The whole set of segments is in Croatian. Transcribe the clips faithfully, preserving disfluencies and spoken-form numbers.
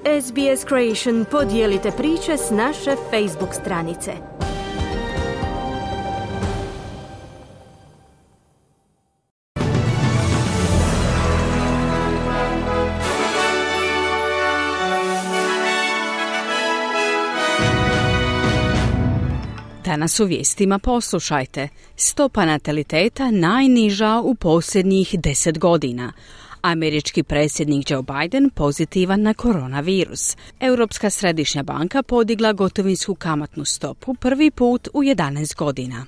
S B S Creation podijelite priče s naše Facebook stranice. Danas u vijestima poslušajte. Stopa nataliteta najniža u posljednjih deset godina. Američki predsjednik Joe Biden pozitivan na koronavirus. Europska središnja banka podigla gotovinsku kamatnu stopu prvi put u jedanaest godina.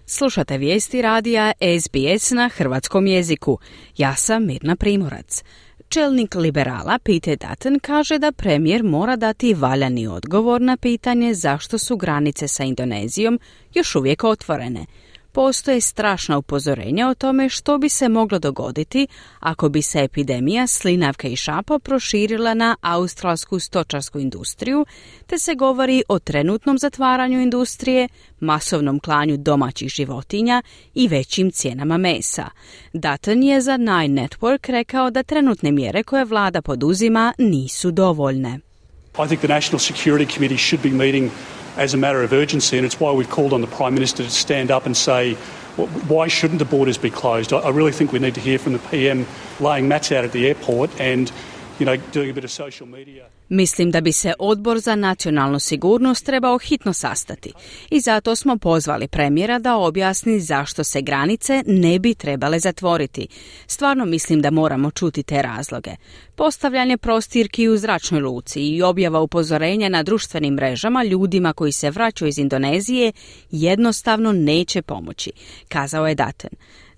Slušate vijesti radija S B S na hrvatskom jeziku. Ja sam Mirna Primorac. Čelnik liberala Peter Dutton kaže da premijer mora dati valjani odgovor na pitanje zašto su granice sa Indonezijom još uvijek otvorene. Postoje strašna upozorenja o tome što bi se moglo dogoditi ako bi se epidemija slinavke i šapa proširila na australsku stočarsku industriju, te se govori o trenutnom zatvaranju industrije, masovnom klanju domaćih životinja i većim cijenama mesa. Dutton je za Nine Network rekao da trenutne mjere koje vlada poduzima nisu dovoljne. I think the National Security Committee should be meeting as a matter of urgency, and it's why we've called on the Prime Minister to stand up and say, why shouldn't the borders be closed? I really think we need to hear from the P M laying mats out at the airport and, you know, doing a bit of social media. Mislim da bi se Odbor za nacionalnu sigurnost trebao hitno sastati i zato smo pozvali premijera da objasni zašto se granice ne bi trebale zatvoriti. Stvarno mislim da moramo čuti te razloge. Postavljanje prostirki u zračnoj luci i objava upozorenja na društvenim mrežama ljudima koji se vraćaju iz Indonezije jednostavno neće pomoći, kazao je Dutton.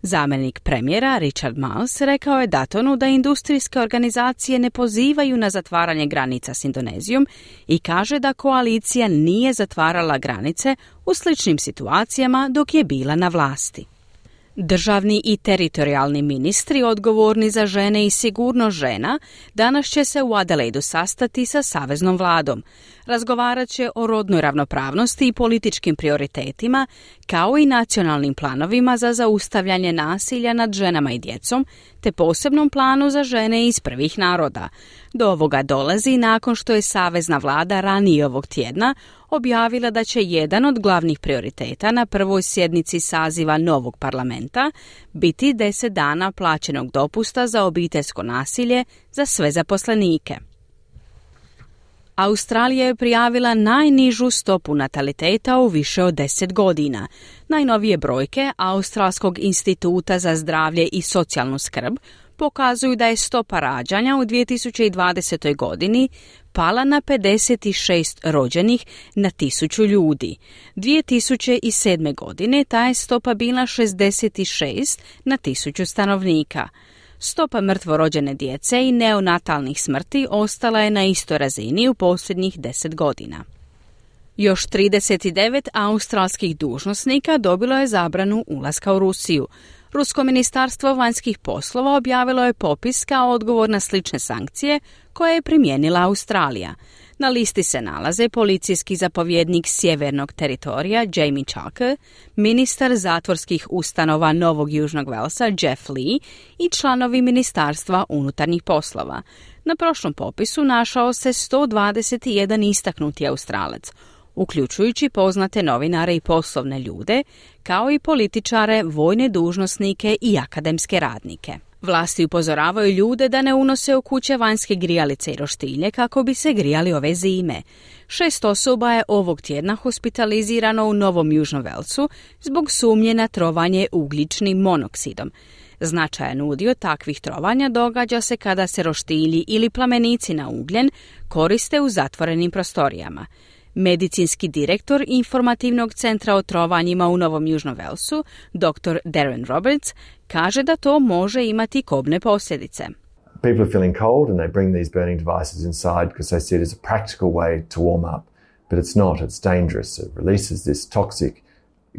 Zamjenik premijera Richard Marles rekao je Duttonu da industrijske organizacije ne pozivaju na zatvaranje granica s Indonezijom i kaže da koalicija nije zatvarala granice u sličnim situacijama dok je bila na vlasti. Državni i teritorijalni ministri odgovorni za žene i sigurnost žena danas će se u Adelaidu sastati sa saveznom vladom. Razgovarat će o rodnoj ravnopravnosti i političkim prioritetima, kao i nacionalnim planovima za zaustavljanje nasilja nad ženama i djecom, te posebnom planu za žene iz prvih naroda. Do ovoga dolazi nakon što je savezna vlada ranije ovog tjedna objavila da će jedan od glavnih prioriteta na prvoj sjednici saziva novog parlamenta biti deset dana plaćenog dopusta za obiteljsko nasilje za sve zaposlenike. Australija je prijavila najnižu stopu nataliteta u više od deset godina. Najnovije brojke Australskog instituta za zdravlje i socijalnu skrb pokazuju da je stopa rađanja u dvije tisuće dvadesetoj godini pala na pedeset šest rođenih na tisuću ljudi. dvije tisuće sedme. godine ta je stopa bila šezdeset šest na tisuću stanovnika. Stopa mrtvorođene djece i neonatalnih smrti ostala je na istoj razini u posljednjih deset godina. Još trideset devet australskih dužnosnika dobilo je zabranu ulaska u Rusiju. Rusko ministarstvo vanjskih poslova objavilo je popis kao odgovor na slične sankcije koje je primijenila Australija. Na listi se nalaze policijski zapovjednik sjevernog teritorija Jamie Chalker, ministar zatvorskih ustanova Novog Južnog Velsa Jeff Lee i članovi ministarstva unutarnjih poslova. Na prošlom popisu našao se sto dvadeset jedan istaknuti Australac, uključujući poznate novinare i poslovne ljude, kao i političare, vojne dužnosnike i akademske radnike. Vlasti upozoravaju ljude da ne unose u kuće vanjske grijalice i roštilje kako bi se grijali ove zime. Šest osoba je ovog tjedna hospitalizirano u Novom Južnom Velsu zbog sumnje na trovanje ugljičnim monoksidom. Značajan udio takvih trovanja događa se kada se roštilji ili plamenici na ugljen koriste u zatvorenim prostorijama. Medicinski direktor informativnog centra o trovanjima u Novom Južnom Velsu, doktor Darren Roberts, kaže da to može imati kobne posljedice. People are feeling cold and they bring these burning devices inside because they see it as a practical way to warm up. But it's not, it's dangerous. It releases this toxic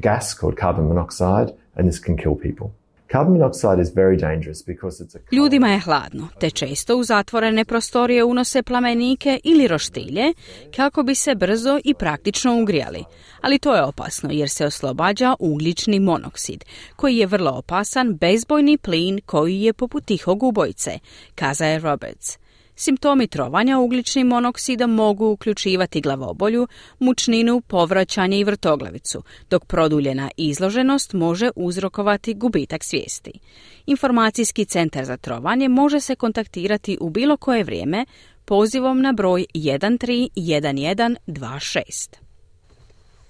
gas called carbon monoxide and this can kill people. Carbon monoxide is very dangerous because it's a... Ljudima je hladno, te često u zatvorene prostorije unose plamenike ili roštilje kako bi se brzo i praktično ugrijali. Ali to je opasno jer se oslobađa ugljični monoksid, koji je vrlo opasan bezbojni plin koji je poput tihog ubojice, kazao je Roberts. Simptomi trovanja ugljičnim monoksidom mogu uključivati glavobolju, mučninu, povraćanje i vrtoglavicu, dok produljena izloženost može uzrokovati gubitak svijesti. Informacijski centar za trovanje može se kontaktirati u bilo koje vrijeme pozivom na broj jedan tri jedan jedan dva šest.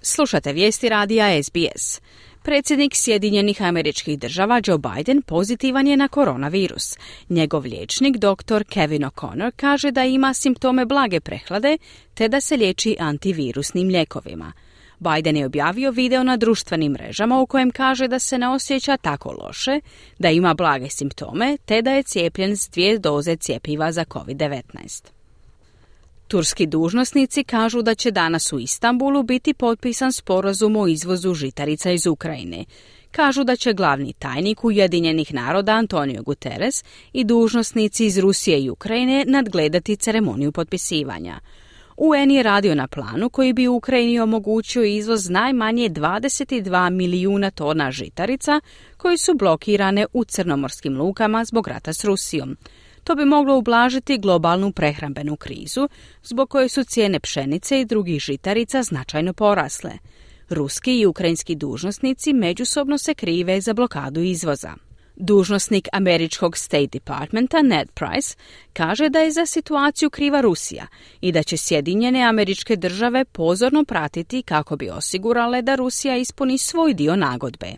Slušate vijesti radija S B S. Predsjednik Sjedinjenih Američkih Država Joe Biden pozitivan je na koronavirus. Njegov liječnik doktor Kevin O'Connor kaže da ima simptome blage prehlade te da se liječi antivirusnim lijekovima. Biden je objavio video na društvenim mrežama u kojem kaže da se ne osjeća tako loše, da ima blage simptome te da je cijepljen s dvije doze cjepiva za covid devetnaest. Turski dužnosnici kažu da će danas u Istanbulu biti potpisan sporazum o izvozu žitarica iz Ukrajine. Kažu da će glavni tajnik Ujedinjenih naroda Antonio Guterres i dužnosnici iz Rusije i Ukrajine nadgledati ceremoniju potpisivanja. U N je radio na planu koji bi Ukrajini omogućio izvoz najmanje dvadeset dva milijuna tona žitarica koji su blokirane u crnomorskim lukama zbog rata s Rusijom. To bi moglo ublažiti globalnu prehrambenu krizu, zbog koje su cijene pšenice i drugih žitarica značajno porasle. Ruski i ukrajinski dužnosnici međusobno se krive za blokadu izvoza. Dužnosnik američkog State Departmenta Ned Price kaže da je za situaciju kriva Rusija i da će Sjedinjene Američke Države pozorno pratiti kako bi osigurale da Rusija ispuni svoj dio nagodbe.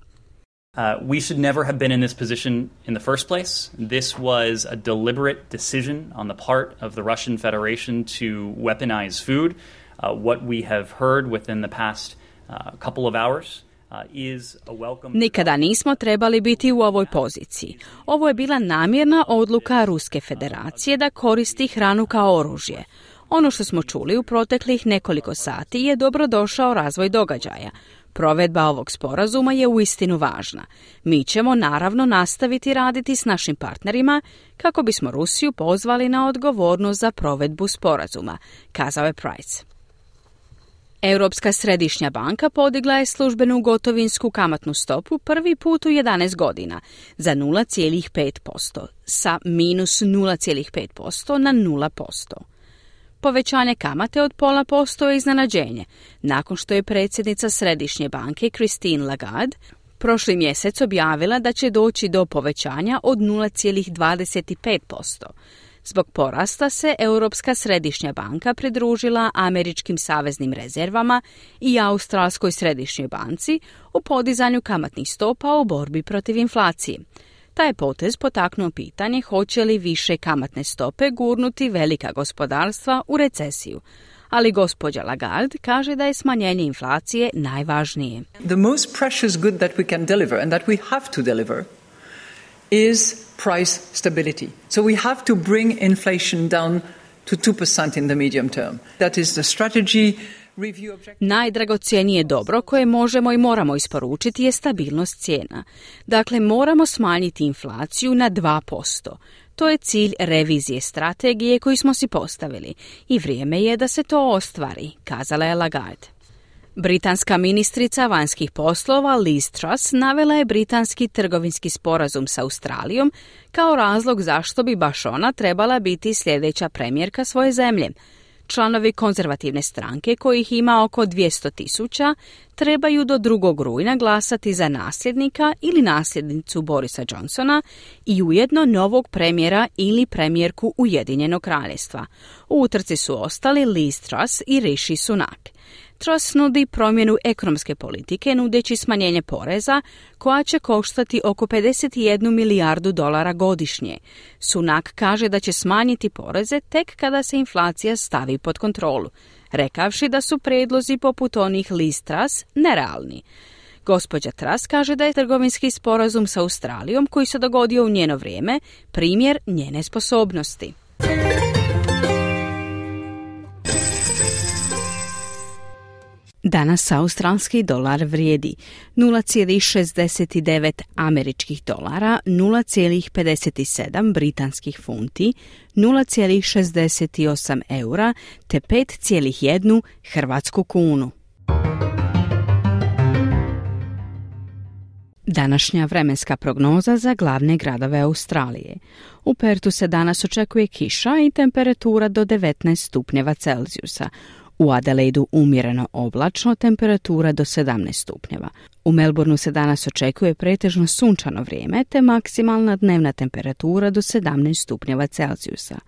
Uh, we should never have been in this position in the first place. This was a deliberate decision on the part of the Russian Federation to weaponize food. Uh, what we have heard within the past uh, couple of hours uh, is a welcome... Nikada nismo trebali biti u ovoj poziciji. Ovo je bila namjerna odluka Ruske Federacije da koristi hranu kao oružje. Ono što smo čuli u proteklih nekoliko sati je dobrodošao razvoj događaja. Provedba ovog sporazuma je uistinu važna. Mi ćemo naravno nastaviti raditi s našim partnerima kako bismo Rusiju pozvali na odgovornost za provedbu sporazuma, kazao je Price. Europska središnja banka podigla je službenu gotovinsku kamatnu stopu prvi put u jedanaest godina za nula zarez pet posto, sa minus nula zarez pet posto na nula posto. Povećanje kamate od pola posto je iznenađenje, nakon što je predsjednica Središnje banke Christine Lagarde prošli mjesec objavila da će doći do povećanja od nula zarez dvadeset pet posto. Zbog porasta se Europska središnja banka pridružila američkim saveznim rezervama i Australskoj središnjoj banci u podizanju kamatnih stopa u borbi protiv inflacije. Taj je potez potaknuo pitanje hoće li više kamatne stope gurnuti velika gospodarstva u recesiju. Ali gospođa Lagarde kaže da je smanjenje inflacije najvažnije. The most precious good that we can deliver and that we have to deliver is price stability. So we have to bring inflation down to two percent in the medium term. That is the strategy. Najdragocjenije dobro koje možemo i moramo isporučiti je stabilnost cijena. Dakle, moramo smanjiti inflaciju na dva posto. To je cilj revizije strategije koju smo si postavili i vrijeme je da se to ostvari, kazala je Lagarde. Britanska ministrica vanjskih poslova Liz Truss navela je britanski trgovinski sporazum s Australijom kao razlog zašto bi baš ona trebala biti sljedeća premijerka svoje zemlje. Članovi konzervativne stranke, kojih ima oko dvjesto tisuća, trebaju do drugog rujna glasati za nasljednika ili nasljednicu Borisa Johnsona i ujedno novog premijera ili premijerku Ujedinjenog kraljevstva. U utrci su ostali Liz Truss i Rishi Sunak. Truss nudi promjenu ekonomske politike nudeći smanjenje poreza koja će koštati oko pedeset jednu milijardu dolara godišnje. Sunak kaže da će smanjiti poreze tek kada se inflacija stavi pod kontrolu, rekavši da su prijedlozi poput onih Liz Truss nerealni. Gospođa Truss kaže da je trgovinski sporazum sa Australijom koji se dogodio u njeno vrijeme primjer njene sposobnosti. Danas australski dolar vrijedi nula zarez šezdeset devet američkih dolara, nula zarez pedeset sedam britanskih funti, nula zarez šezdeset osam eura te pet zarez jedan hrvatsku kunu. Današnja vremenska prognoza za glavne gradove Australije. U Pertu se danas očekuje kiša i temperatura do devetnaest stupnjeva Celzijusa. U Adelaidu umjereno oblačno, temperatura do sedamnaest stupnjeva. U Melbourneu se danas očekuje pretežno sunčano vrijeme, te maksimalna dnevna temperatura do sedamnaest stupnjeva Celzijusa.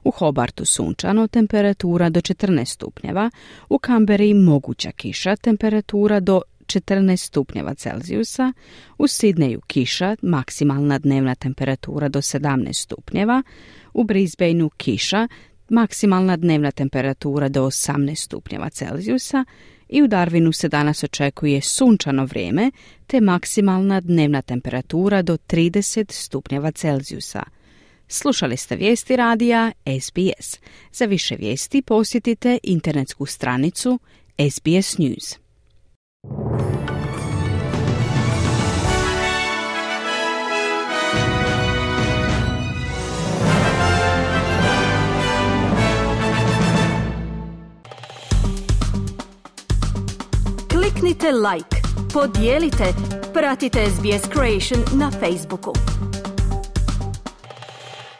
U Hobartu sunčano, temperatura do četrnaest stupnjeva. U Canberri moguća kiša, temperatura do četrnaest stupnjeva Celzijusa. U Sidneju kiša, maksimalna dnevna temperatura do sedamnaest stupnjeva. U Brisbaneu kiša, maksimalna dnevna temperatura do osamnaest stupnjeva Celzijusa i u Darwinu se danas očekuje sunčano vrijeme te maksimalna dnevna temperatura do trideset stupnjeva Celzijusa. Slušali ste vijesti radija S B S. Za više vijesti posjetite internetsku stranicu S B S News. Kliknite like, podijelite, pratite S B S Creation na Facebooku.